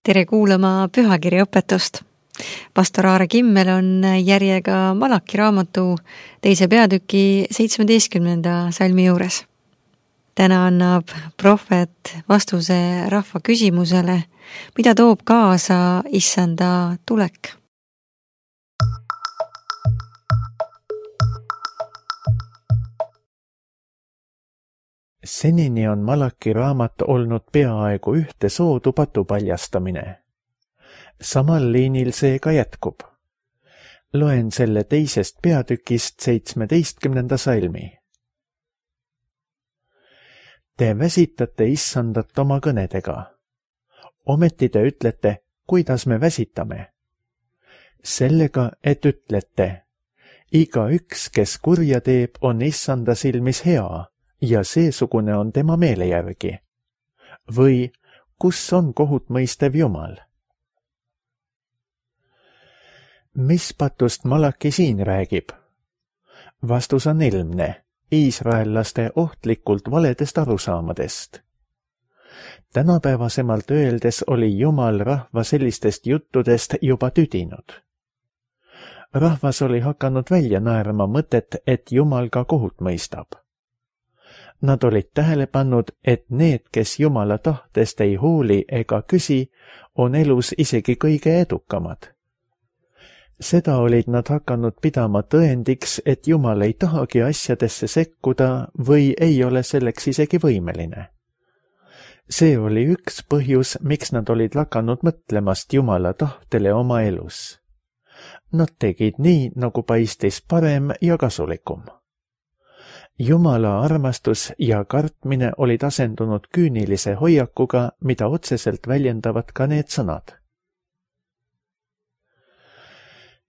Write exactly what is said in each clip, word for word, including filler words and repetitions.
Tere kuulama pühakirjaõpetust. Pastor Aare Kimmel on järjega Malaki raamatu teise peatüki seitsmeteistkümnenda salmi juures. Täna annab prohvet vastuse rahva küsimusele, mida toob kaasa issanda tulek. Senini on Malaki raamat olnud peaaegu ühte soodu patupaljastamine. Samal liinil see ka jätkub. Loen selle teisest peatükist seitsmeteistkümnenda salmi. Te väsitate issandat oma kõnedega. Ometi te ütlete, kuidas me väsitame. Sellega, et ütlete, iga üks, kes kurja teeb, on issanda silmis hea, ja seesugune on tema meele järgi. Või kus on kohut mõistev Jumal? Mis patust Malaki siin räägib? Vastus on ilmne, iisraellaste ohtlikult valedest arusaamadest. Tänapäevasemalt öeldes oli Jumal rahva sellistest juttudest juba tüdinud. Rahvas oli hakanud välja naerma mõtet, et Jumal ka kohut mõistab. Nad olid tähele pannud, et need, kes Jumala tahtest ei hooli ega küsi, on elus isegi kõige edukamad. Seda olid nad hakanud pidama tõendiks, et Jumal ei tahagi asjadesse sekkuda või ei ole selleks isegi võimeline. See oli üks põhjus, miks nad olid lakanud mõtlemast Jumala tahtele oma elus. Nad tegid nii, nagu paistis parem ja kasulikum. Jumala armastus ja kartmine olid asendunud küünilise hoiakuga, mida otseselt väljendavad ka need sõnad.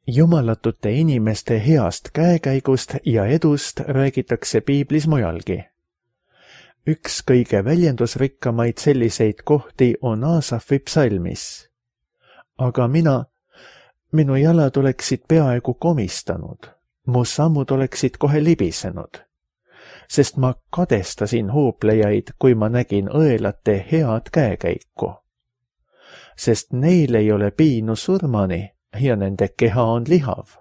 Jumalatute inimeste heast käekäigust ja edust räägitakse piiblis mujalgi. Üks kõige väljendusrikkamaid selliseid kohti on Aasafi psalmis. Aga mina, minu jalad oleksid peaaegu komistanud, mu sammud oleksid kohe libisenud. Sest ma kadestasin hooplejaid, kui ma nägin õelate head käekäiku. Sest neil ei ole piinu surmani ja nende keha on lihav.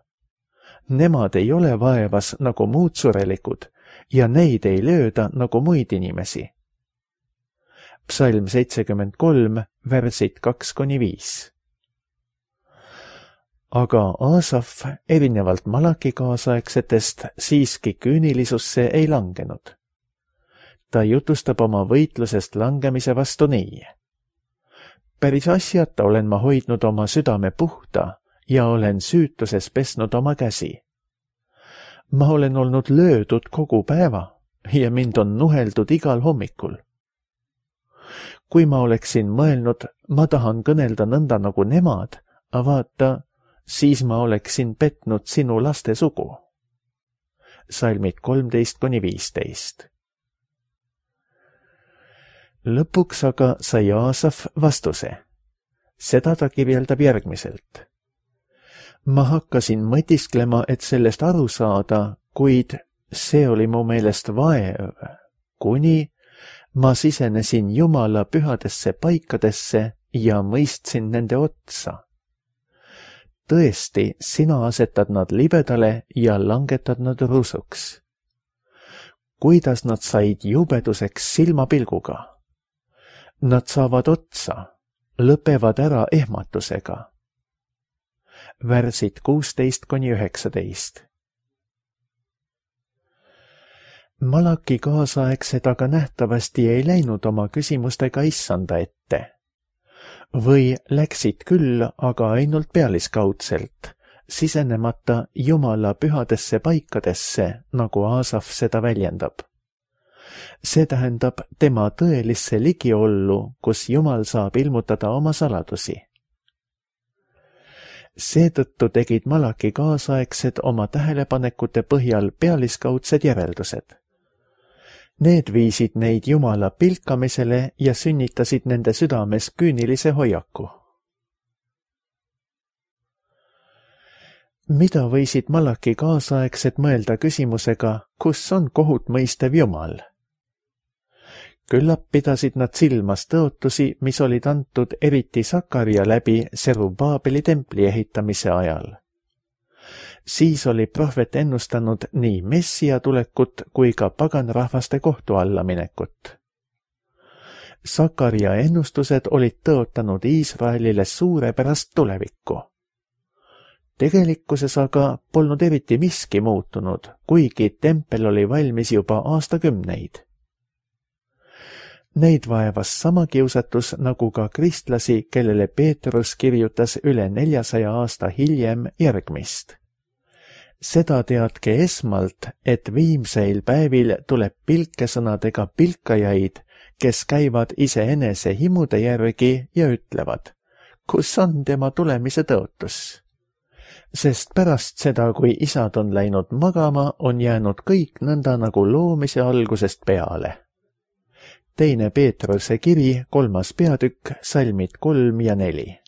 Nemad ei ole vaevas nagu muud surelikud ja neid ei lööda nagu muid inimesi. Psalm seitsekümmend kolm, värsid kaks kuni viis. Aga Aasaf, erinevalt Malaki kaasaegsetest, siiski küünilisusse ei langenud. Ta jutustab oma võitlusest langemise vastu nii. Päris asjata olen ma hoidnud oma südame puhta ja olen süütuses pesnud oma käsi. Ma olen olnud löödud kogu päeva ja mind on nuheldud igal hommikul. Kui ma oleksin mõelnud, ma tahan kõnelda nõnda nagu nemad, vaata, siis ma oleksin petnud sinu laste sugu. Salmid kolmteist kuni viisteist. Lõpuks aga sai Aasaf vastuse. Seda ta kirjeldab järgmiselt. Ma hakkasin mõtisklema, et sellest aru saada, kuid see oli mu meelest vaev, kuni ma sisenesin Jumala pühadesse paikadesse ja mõistsin nende otsa. Tõesti, sina asetad nad libedale ja langetad nad rusuks. Kuidas nad said jubeduseks silmapilguga? Nad saavad otsa, lõpevad ära ehmatusega. Värsid kuusteist kuni üheksateist. Malaki kaasaegsed aga nähtavasti ei läinud oma küsimustega issanda ette. Või läksid küll, aga ainult pealiskaudselt, sisenemata Jumala pühadesse paikadesse, nagu Aasaf seda väljendab. See tähendab tema tõelisse ligiollu, kus Jumal saab ilmutada oma saladusi. Seetõttu tegid Malaki kaasaegsed oma tähelepanekute põhjal pealiskaudsed järeldused. Need viisid neid Jumala pilkamisele ja sünnitasid nende südames küünilise hoiaku. Mida võisid Malaki kaasaegsed mõelda küsimusega, kus on kohut mõistev Jumal? Küllap pidasid nad silmas tõotusi, mis olid antud eriti Sakaria läbi Serubaabeli templi ehitamise ajal. Siis oli prohvet ennustanud nii messia tulekut kui ka paganrahvaste kohtu alla minekut. Sakaria ennustused olid tõotanud Iisraelile suurepärast tulevikku. Tegelikkuses aga polnud eriti miski muutunud, kuigi tempel oli valmis juba aastakümneid. Neid vaevas sama kiusatus nagu ka kristlasi, kellele Peetrus kirjutas üle neljasaja aasta hiljem järgmist. Seda teadke esmalt, et viimseil päevil tuleb pilkesõnadega pilkajaid, kes käivad iseenese himude järgi ja ütlevad, kus on tema tulemise tõotus. Sest pärast seda, kui isad on läinud magama, on jäänud kõik nõnda nagu loomise algusest peale. Teine Peetruse kiri, kolmas peatükk, salmid kolm ja neli.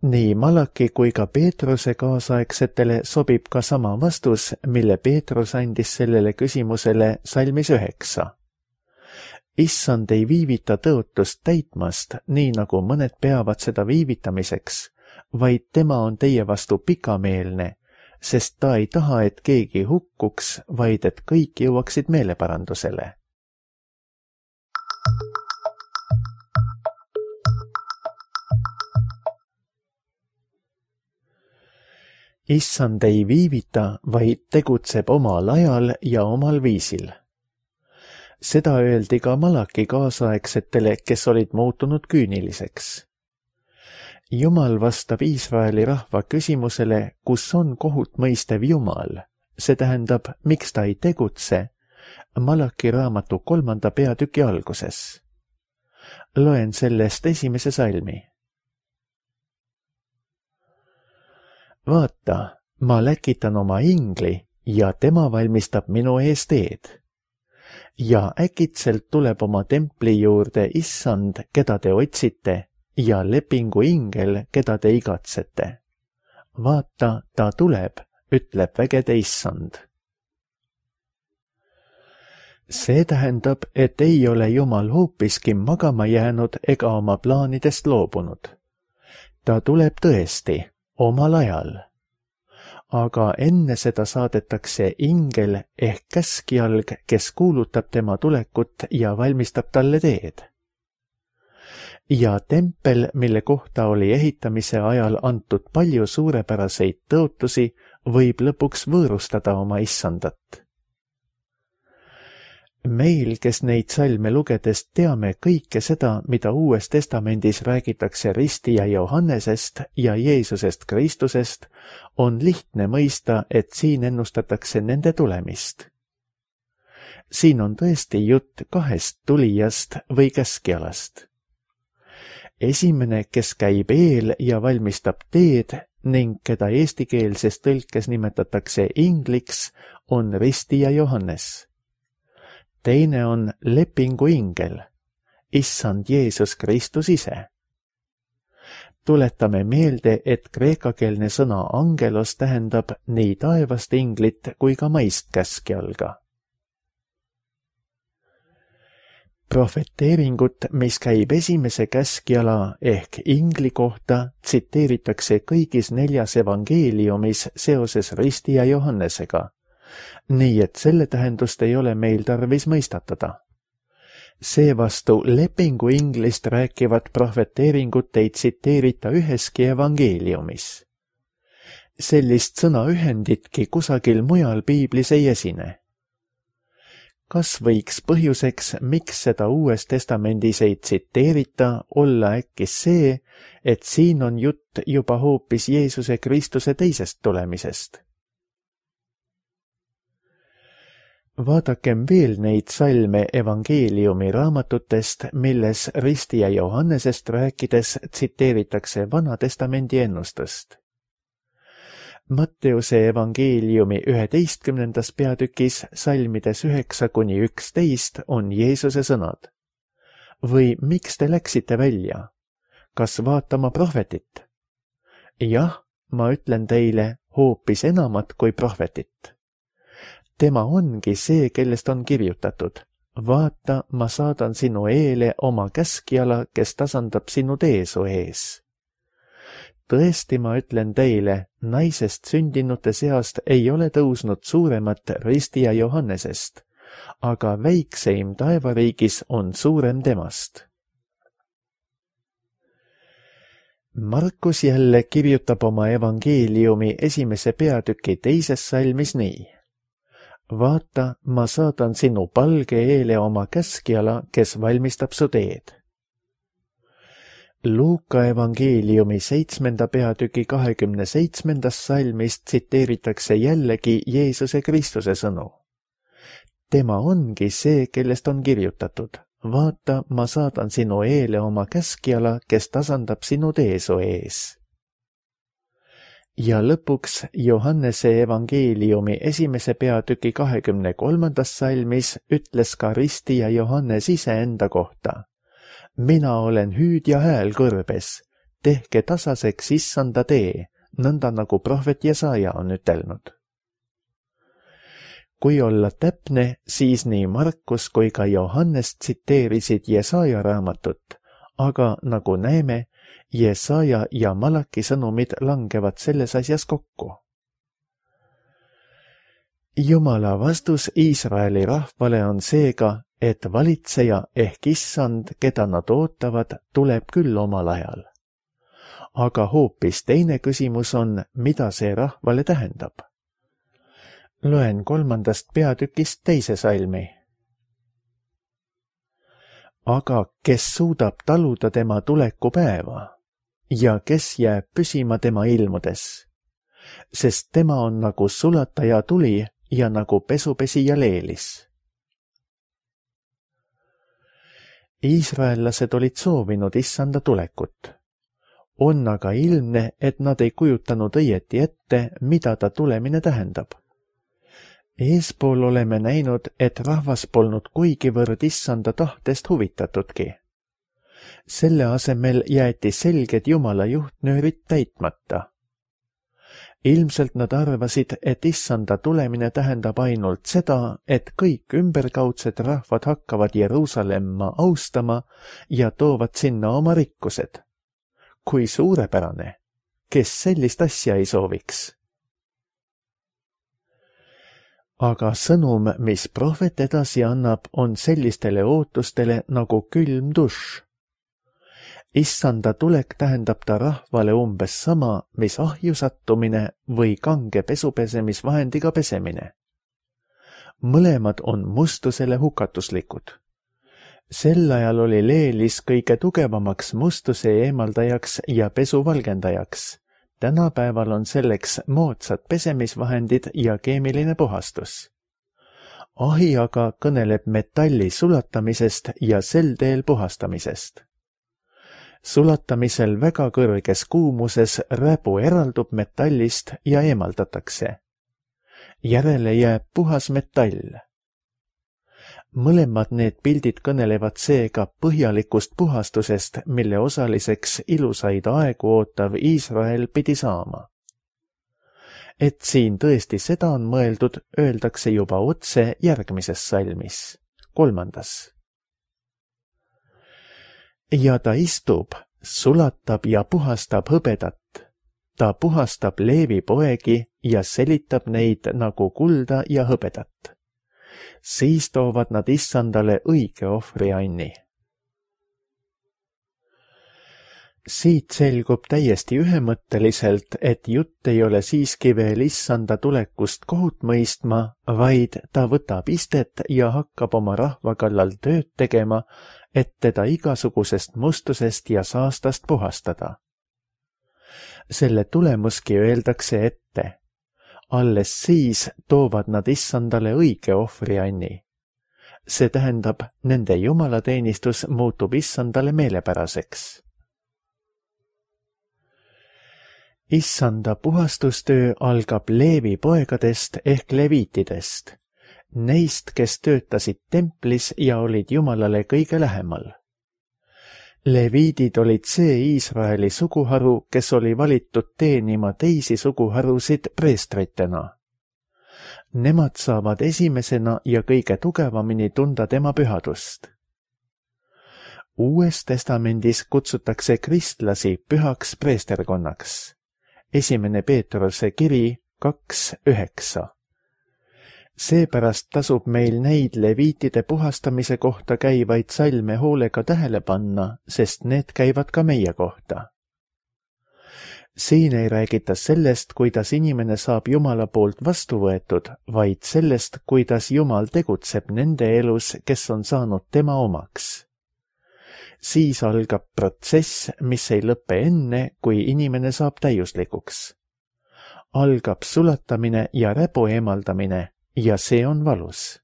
Nii Malaki kui ka Peetruse kaasaegsetele sobib ka sama vastus, mille Peetrus andis sellele küsimusele salmis üheksa. Issand ei viivita tõotust täitmast, nii nagu mõned peavad seda viivitamiseks, vaid tema on teie vastu pikameelne, sest ta ei taha, et keegi hukkuks, vaid et kõik jõuaksid meeleparandusele. Issand ei viivita, vaid tegutseb omal ajal ja omal viisil. Seda öeldi ka Malaki kaasaegsetele, kes olid muutunud küüniliseks. Jumal vastab Iisraeli rahva küsimusele, kus on kohut mõistev Jumal, see tähendab, miks ta ei tegutse, Malaki raamatu kolmanda peatüki alguses. Loen sellest esimese salmi. Vaata, ma läkitan oma ingli ja tema valmistab minu ees teed. Ja äkitselt tuleb oma templi juurde Issand, keda te otsite, ja lepingu ingel, keda te igatsete. Vaata, ta tuleb, ütleb vägede Issand. See tähendab, et ei ole Jumal hoopiski magama jäänud ega oma plaanidest loobunud. Ta tuleb tõesti, omal ajal. Aga enne seda saadetakse ingel ehk käskjalg, kes kuulutab tema tulekut ja valmistab talle teed. Ja tempel, mille kohta oli ehitamise ajal antud palju suurepäraseid tõotusi, võib lõpuks võõrustada oma issandat. Meil, kes neid salme lugedes teame kõike seda, mida Uues Testamendis räägitakse ristija Johannesest ja Jeesusest Kristusest, on lihtne mõista, et siin ennustatakse nende tulemist. Siin on tõesti jutt kahest tulijast või käskjalast. Esimene, kes käib eel ja valmistab teed ning keda eestikeelses tõlkes nimetatakse ingliks, on ristija Johannes. Teine on lepingu ingel, Issand Jeesus Kristus ise. Tuletame meelde, et kreekakeelne sõna angelos tähendab nii taevast inglit kui ka maist käskjalga. Profeteeringut, mis käib esimese käskjala ehk ingli kohta, tsiteeritakse kõigis neljas evangeeliumis seoses ristija Johannesega. Nii et selle tähendust ei ole meil tarvis mõistatada. Seevastu lepingu inglist rääkivat profeteeringut ei tsiteerita üheski evangeeliumis. Sellist sõnaühenditki kusagil mujal piiblis ei esine. Kas võiks põhjuseks, miks seda Uues Testamendis ei tsiteerita, olla äkki see, et siin on jutt juba hoopis Jeesuse Kristuse teisest tulemisest? Vaadakem veel neid salme evangeeliumi raamatutest, milles ristija Johannesest rääkides tsiteeritakse Vana Testamendi ennustust. Matteuse evangeeliumi üheteistkümnendas peatükis salmides üheksa kuni üksteist on Jeesuse sõnad. Või miks te läksite välja? Kas vaatama prohvetit? Jah, ma ütlen teile hoopis enamat kui prohvetit. Tema ongi see, kellest on kirjutatud. vaata, ma saadan sinu eele oma käskjala, kes tasandab sinu tee su ees. Tõesti, ma ütlen teile, naisest sündinute seast ei ole tõusnud suuremat ristija Johannesest, aga väikseim taevariigis on suurem temast. Markus jälle kirjutab oma evangeeliumi esimese peatüki teises salmis nii. Vaata, ma saadan sinu palge eele oma käskjala, kes valmistab su teed. Luuka evangeeliumi seitsmenda peatüki kahekümne seitsmendas salmis tsiteeritakse jällegi Jeesuse Kristuse sõnu. Tema ongi see, kellest on kirjutatud. Vaata, ma saadan sinu eele oma käskjala, kes tasandab sinu tee su ees. Ja lõpuks Johannese evangeeliumi esimese peatüki kahekümne kolmandas salmis ütles ka ristija Johannes iseenda kohta. Mina olen hüüd ja hääl kõrbes, tehke tasaseks issanda tee, nõnda nagu prohvet Jesaja on ütelnud. Kui olla täpne, siis nii Markus kui ka Johannes tsiteerisid Jesaja raamatut, aga nagu näeme, Jesaja ja Malaki sõnumid langevad selles asjas kokku. Jumala vastus Iisraeli rahvale on seega, et valitseja ehk issand, keda nad ootavad, tuleb küll omal ajal. Aga hoopis teine küsimus on, mida see rahvale tähendab. Loen kolmandast peatükist teise salmi. Aga kes suudab taluda tema tulekupäeva ja kes jääb püsima tema ilmudes, sest tema on nagu sulataja tuli ja nagu pesupesija leelis. Iisraellased olid soovinud issanda tulekut. On aga ilmne, et nad ei kujutanud õieti ette, mida ta tulemine tähendab. Eespool oleme näinud, et rahvas polnud kuigivõrd issanda tahtest huvitatudki. Selle asemel jäeti selged Jumala juhtnöörid täitmata. Ilmselt nad arvasid, et issanda tulemine tähendab ainult seda, et kõik ümberkaudsed rahvad hakkavad Jeruusalemma austama ja toovad sinna oma rikkused. Kui suurepärane, kes sellist asja ei sooviks? Aga sõnum, mis prohvet edasi annab, on sellistele ootustele nagu külm dušš. Issanda tulek tähendab ta rahvale umbes sama, mis ahju sattumine või kange pesupesemisvahendiga pesemine. Mõlemad on mustusele hukatuslikud. Sel ajal oli leelis kõige tugevamaks mustuse eemaldajaks ja pesu valgendajaks. Tänapäeval on selleks moodsad pesemisvahendid ja keemiline puhastus. Ahi aga kõneleb metalli sulatamisest ja sel teel puhastamisest. Sulatamisel väga kõrges kuumuses räbu eraldub metallist ja eemaldatakse. Järele jääb puhas metall. Mõlemad need pildid kõnelevad seega põhjalikust puhastusest, mille osaliseks ilusaid aegu ootav Iisrael pidi saama. Et siin tõesti seda on mõeldud, öeldakse juba otse järgmises salmis, kolmandas. Ja ta istub, sulatab ja puhastab hõbedat. Ta puhastab Leevi poegi ja selitab neid nagu kulda ja hõbedat. Siis toovad nad issandale õige ohvrianni. Siit selgub täiesti ühemõtteliselt, et jutt ei ole siiski veel issanda tulekust kohut mõistma, vaid ta võtab istet ja hakkab oma rahva kallal tööd tegema, et teda igasugusest mustusest ja saastast puhastada. Selle tulemuski öeldakse ette. Alles siis toovad nad issandale õige ohvrianni. See tähendab, nende jumalateenistus muutub issandale meelepäraseks. Issanda puhastustöö algab Leevi poegadest ehk leviitidest, neist, kes töötasid templis ja olid Jumalale kõige lähemal. Leviidid olid see Iisraeli suguharu, kes oli valitud teenima teisi suguharusid preestritena. Nemad saavad esimesena ja kõige tugevamini tunda tema pühadust. Uues testamendis kutsutakse kristlasi pühaks preesterkonnaks. Esimene Peetruse kiri kaks üheksa. Seepärast tasub meil neid leviitide puhastamise kohta käivaid salme hoolega tähele panna, sest need käivad ka meie kohta. Siin ei räägita sellest, kuidas inimene saab Jumala poolt vastu võetud, vaid sellest, kuidas Jumal tegutseb nende elus, kes on saanud tema omaks. Siis algab protsess, mis ei lõppe enne, kui inimene saab täiuslikuks. Algab sulatamine ja räbu eemaldamine ja see on valus.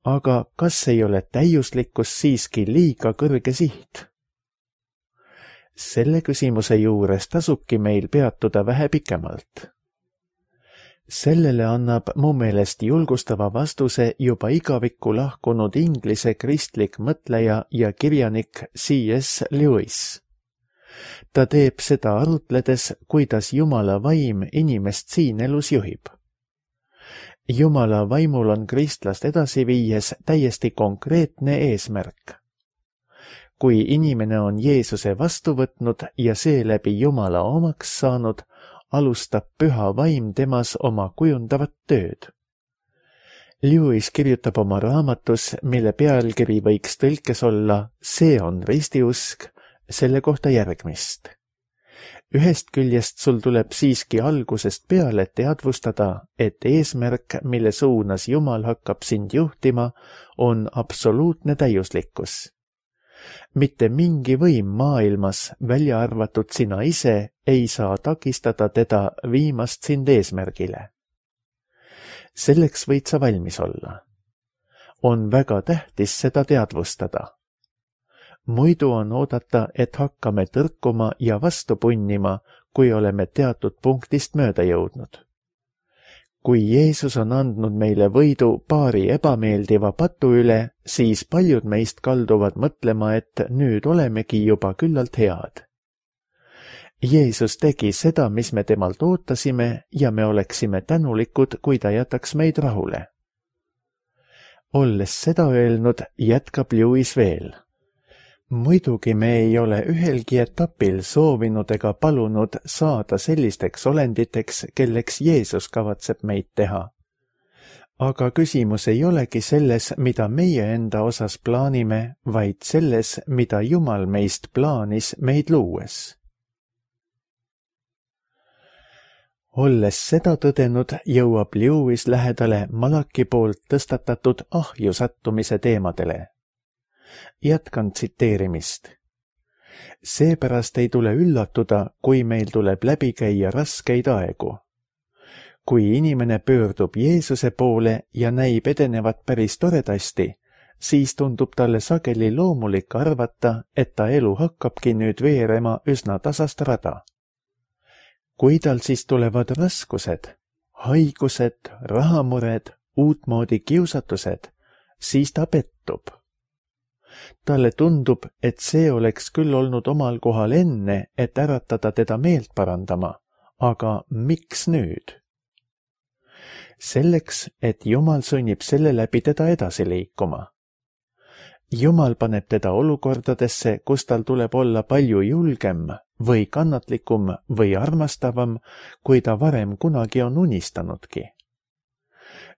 Aga kas ei ole täiuslikkus siiski liiga kõrge siht? Selle küsimuse juures tasubki meil peatuda vähe pikemalt. Sellele annab mu meelest julgustava vastuse juba igavikku lahkunud inglise kristlik mõtleja ja kirjanik C S Lewis. Ta teeb seda arutledes, kuidas Jumala vaim inimest siin elus juhib. Jumala vaimul on kristlast edasi viies täiesti konkreetne eesmärk. Kui inimene on Jeesuse vastu võtnud ja seeläbi Jumala omaks saanud, alustab püha vaim temas oma kujundavat tööd. Lewis kirjutab oma raamatus, mille pealkiri võiks tõlkes olla See on ristiusk, selle kohta järgmist. Ühest küljest sul tuleb siiski algusest peale teadvustada, et eesmärk, mille suunas Jumal hakkab sind juhtima, on absoluutne täiuslikkus. Mitte mingi võim maailmas, välja arvatud sina ise, ei saa takistada teda viimast sind eesmärgile. Selleks võid sa valmis olla. On väga tähtis seda teadvustada. Muidu on oodata, et hakkame tõrkuma ja vastu punnima, kui oleme teatud punktist mööda jõudnud. Kui Jeesus on andnud meile võidu paari ebameeldiva patu üle, siis paljud meist kalduvad mõtlema, et nüüd olemegi juba küllalt head. Jeesus tegi seda, mis me temalt ootasime ja me oleksime tänulikud, kui ta jätaks meid rahule. Olles seda öelnud, jätkab Lewis veel. Muidugi me ei ole ühelgi etapil soovinud ega palunud saada sellisteks olenditeks, kelleks Jeesus kavatseb meid teha. Aga küsimus ei olegi selles, mida meie enda osas plaanime, vaid selles, mida Jumal meist plaanis meid luues. Olles seda tõdenud, jõuab Lewis lähedale Malaki poolt tõstatatud ahju sattumise teemadele. Jätkan tsiteerimist. Seepärast ei tule üllatuda, kui meil tuleb läbi käia raskeid aegu. Kui inimene pöördub Jeesuse poole ja näib edenevat päris toredasti, siis tundub talle sageli loomulik arvata, et ta elu hakkabki nüüd veerema üsna tasast rada. Kui tal siis tulevad raskused, haigused, rahamured, uutmoodi kiusatused, siis ta pettub. Talle tundub, et see oleks küll olnud omal kohal enne, et äratada teda meelt parandama, aga miks nüüd? Selleks, et Jumal sunnib selle läbi teda edasi liikuma. Jumal paneb teda olukordadesse, kus tal tuleb olla palju julgem või kannatlikum või armastavam, kui ta varem kunagi on unistanudki.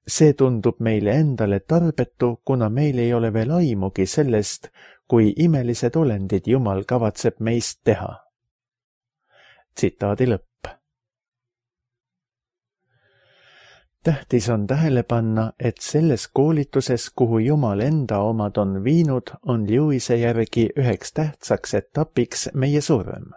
See tundub meile endale tarbetu, kuna meil ei ole veel aimugi sellest, kui imelised olendid Jumal kavatseb meist teha. Tsitaadi lõpp. Tähtis on tähele panna, et selles koolituses, kuhu Jumal enda omad on viinud, on Lewise järgi üheks tähtsaks etapiks meie surm.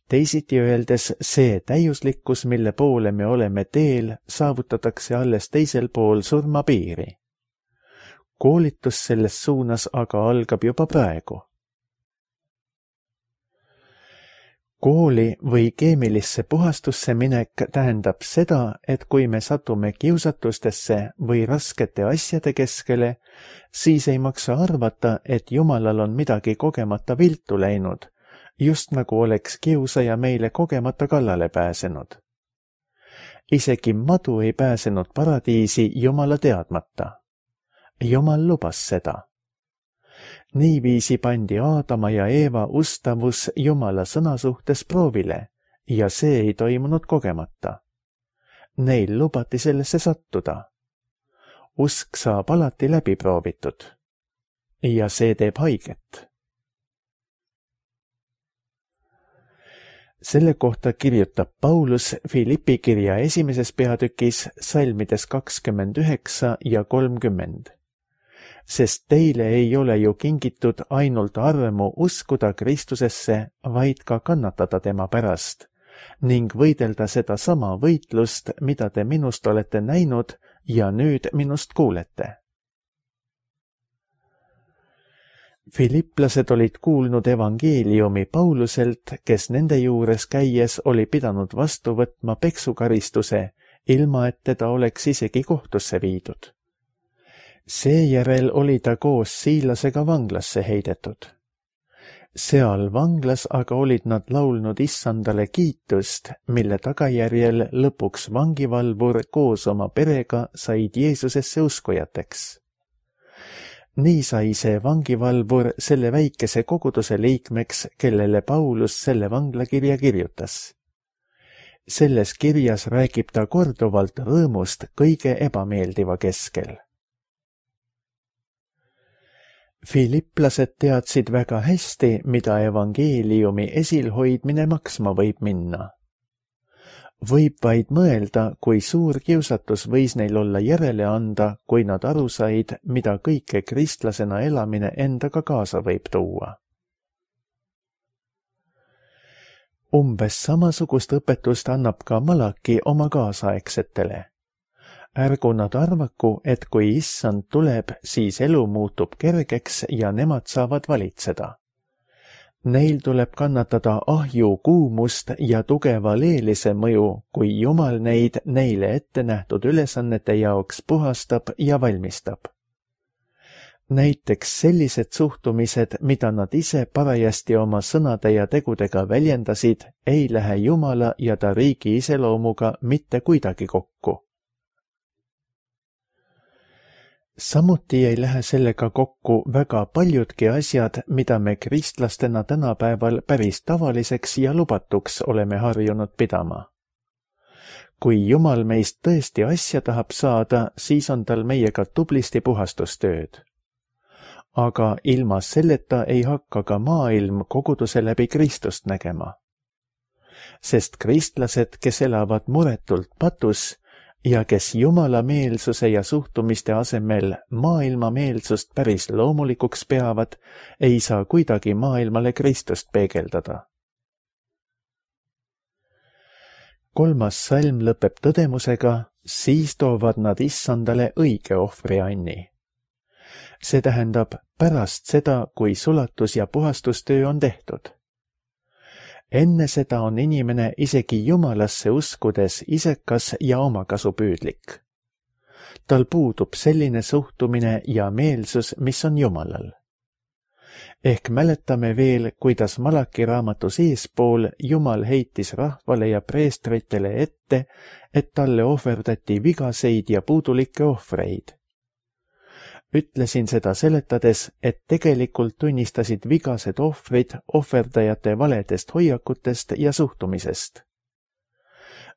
Teisiti öeldes, see täiuslikkus, mille poole me oleme teel, saavutatakse alles teisel pool surmapiiri. Koolitus selles suunas aga algab juba praegu. kooli või keemilisse puhastusse minek tähendab seda, et kui me satume kiusatustesse või raskete asjade keskele, siis ei maksa arvata, et Jumalal on midagi kogemata viltu läinud, just nagu oleks kiusaja meile kogemata kallale pääsenud. Isegi madu ei pääsenud paradiisi Jumala teadmata. Jumal lubas seda. Niiviisi pandi Aadama ja Eeva ustavus Jumala sõna suhtes proovile ja see ei toimunud kogemata. Neil lubati sellesse sattuda. Usk saab alati läbi proovitud ja see teeb haiget. Selle kohta kirjutab Paulus Filippi kirja esimeses peatükis salmides kakskümmend üheksa ja kolmkümmend. Sest teile ei ole ju kingitud ainult armu uskuda Kristusesse, vaid ka kannatada tema pärast ning võidelda seda sama võitlust, mida te minust olete näinud ja nüüd minust kuulete. Filipplased olid kuulnud evangeeliumi Pauluselt, kes nende juures käies oli pidanud vastu võtma peksukaristuse, ilma et teda oleks isegi kohtusse viidud. Seejärel oli ta koos Siilasega vanglasse heidetud. Seal vanglas aga olid nad laulnud issandale kiitust, mille tagajärjel lõpuks vangivalvur koos oma perega said Jeesusesse uskujateks. Nii sai see vangivalvur selle väikese koguduse liikmeks, kellele Paulus selle vanglakirja kirjutas. Selles kirjas räägib ta korduvalt rõõmust kõige ebameeldiva keskel. Filipplased teadsid väga hästi, mida evangeeliumi esilhoidmine maksma võib minna. Võib vaid mõelda, kui suur kiusatus võis neil olla järele anda, kui nad aru said, mida kõike kristlasena elamine endaga kaasa võib tuua. Umbes samasugust õpetust annab ka Malaki oma kaasaegsetele. Ärgu nad arvaku, et kui issand tuleb, siis elu muutub kergeks ja nemad saavad valitseda. Neil tuleb kannatada ahju kuumust ja tugeva leelise mõju, kui Jumal neid neile ette nähtud ülesannete jaoks puhastab ja valmistab. Näiteks sellised suhtumised, mida nad ise parajasti oma sõnade ja tegudega väljendasid, ei lähe Jumala ja ta riigi iseloomuga mitte kuidagi kokku. Samuti ei lähe sellega kokku väga paljudki asjad, mida me kristlastena tänapäeval päris tavaliseks ja lubatuks oleme harjunud pidama. Kui Jumal meist tõesti asja tahab saada, siis on tal meiega tublisti puhastustööd. Aga ilma selleta ei hakka ka maailm koguduse läbi Kristust nägema. Sest kristlased, kes elavad muretult patus, ja kes Jumala meelsuse ja suhtumiste asemel maailma meelsust päris loomulikuks peavad, ei saa kuidagi maailmale Kristust peegeldada. Kolmas salm lõpeb tõdemusega, siis toovad nad issandale õige ohvrianni. See tähendab pärast seda, kui sulatus- ja puhastustöö on tehtud. Enne seda on inimene isegi Jumalasse uskudes isekas ja omakasupüüdlik. Tal puudub selline suhtumine ja meelsus, mis on Jumalal. Ehk mäletame veel, kuidas Malaki raamatus eespool Jumal heitis rahvale ja preestritele ette, et talle ohverdati vigaseid ja puudulikke ohvreid. Ütlesin seda seletades, et tegelikult tunnistasid vigased ohvrid ohverdajate valedest hoiakutest ja suhtumisest.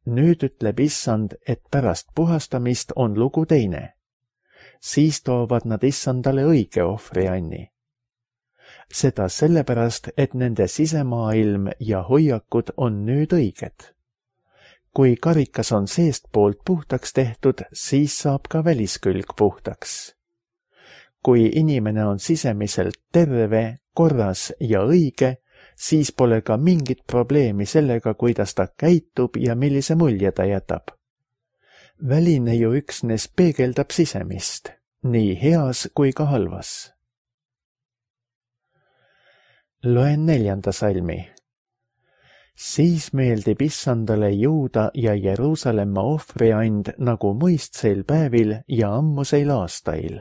Nüüd ütleb issand, et pärast puhastamist on lugu teine. Siis toovad nad issandale õige ohvrianni. Seda sellepärast, et nende sisemaailm ja hoiakud on nüüd õiged. Kui karikas on seestpoolt puhtaks tehtud, siis saab ka väliskülg puhtaks. Kui inimene on sisemiselt terve, korras ja õige, siis pole ka mingit probleemi sellega, kuidas ta käitub ja millise mulje ta jätab. Väline ju üksnes peegeldab sisemist, nii heas kui ka halvas. Loen neljanda salmi. Siis meeldib issandale Juuda ja Jeruusalemma ohvriand nagu muistseil päevil ja ammuseil aastail.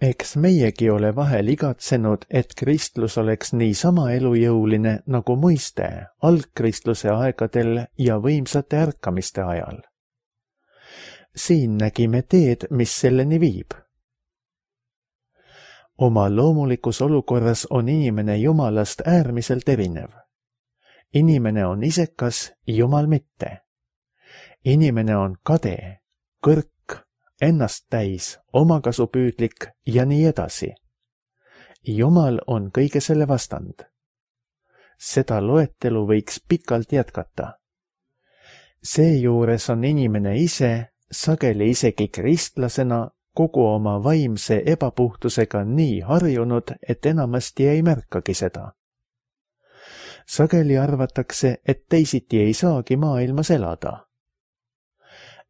Eks meiegi ole vahel igatsenud, et kristlus oleks nii sama elujõuline nagu muiste algkristluse aegadel ja võimsate ärkamiste ajal. Siin nägime teed, mis selleni viib. Oma loomulikus olukorras on inimene Jumalast äärmiselt erinev. Inimene on isekas, Jumal mitte. Inimene on kade, kõrk, ennast täis, omakasupüüdlik ja nii edasi. Jumal on kõige selle vastand. Seda loetelu võiks pikalt jätkata. Seejuures on inimene ise, sageli isegi kristlasena, kogu oma vaimse ebapuhtusega nii harjunud, et enamasti ei märkagi seda. Sageli arvatakse, et teisiti ei saagi maailmas elada.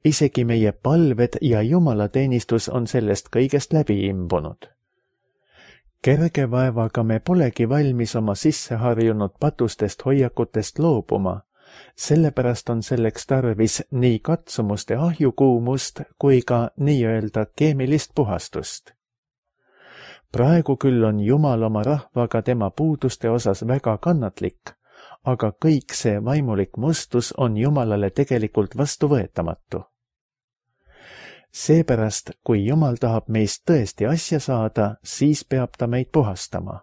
Isegi meie palved ja jumalateenistus on sellest kõigest läbi imbunud. Kerge vaevaga me polegi valmis oma sisseharjunud patustest hoiakutest loobuma, sellepärast on selleks tarvis nii katsumuste ahjukuumust kui ka nii-öelda keemilist puhastust. Praegu küll on Jumal oma rahvaga tema puuduste osas väga kannatlik, aga kõik see vaimulik mustus on Jumalale tegelikult vastuvõetamatu. Seepärast, kui Jumal tahab meist tõesti asja saada, siis peab ta meid puhastama.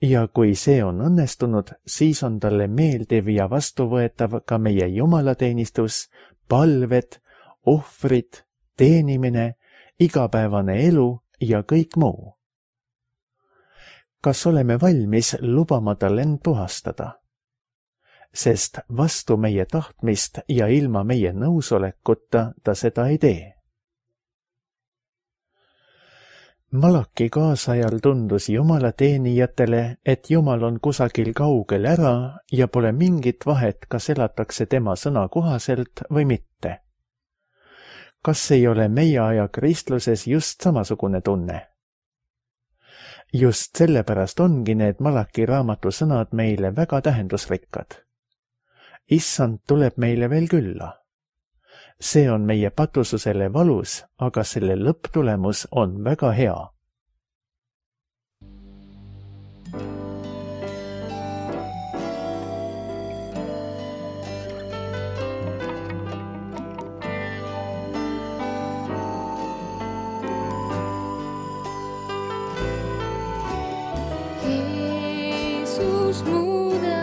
Ja kui see on õnnestunud, siis on talle meeldiv ja vastuvõetav ka meie jumalateenistus, palved, ohvrid, teenimine, igapäevane elu ja kõik muu. Kas oleme valmis lubama tal end puhastada? Sest vastu meie tahtmist ja ilma meie nõusolekuta ta seda ei tee. Malaki kaasajal tundus Jumala teenijatele, et Jumal on kusagil kaugel ära ja pole mingit vahet, kas elatakse tema sõna kohaselt või mitte. Kas ei ole meie aja kristluses just samasugune tunne? Just sellepärast ongi need Malaki raamatu sõnad meile väga tähendusrikkad. Issand tuleb meile veel külla. See on meie patususele valus, aga selle lõpptulemus on väga hea. Jeesus muuda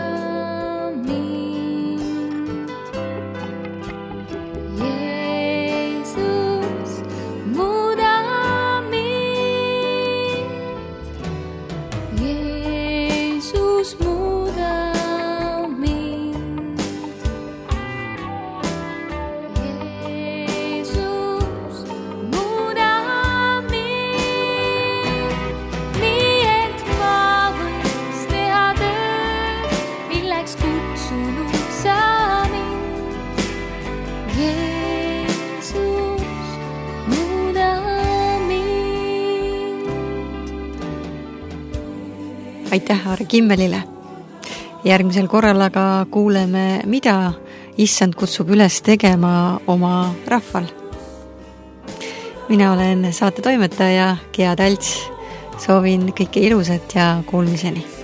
Aitäh Aare Kimmelile. Järgmisel korral aga kuuleme, mida Issand kutsub üles tegema oma rahval. Mina olen saate toimetaja Gea Talts. Soovin kõike ilusat ja kuulmiseni.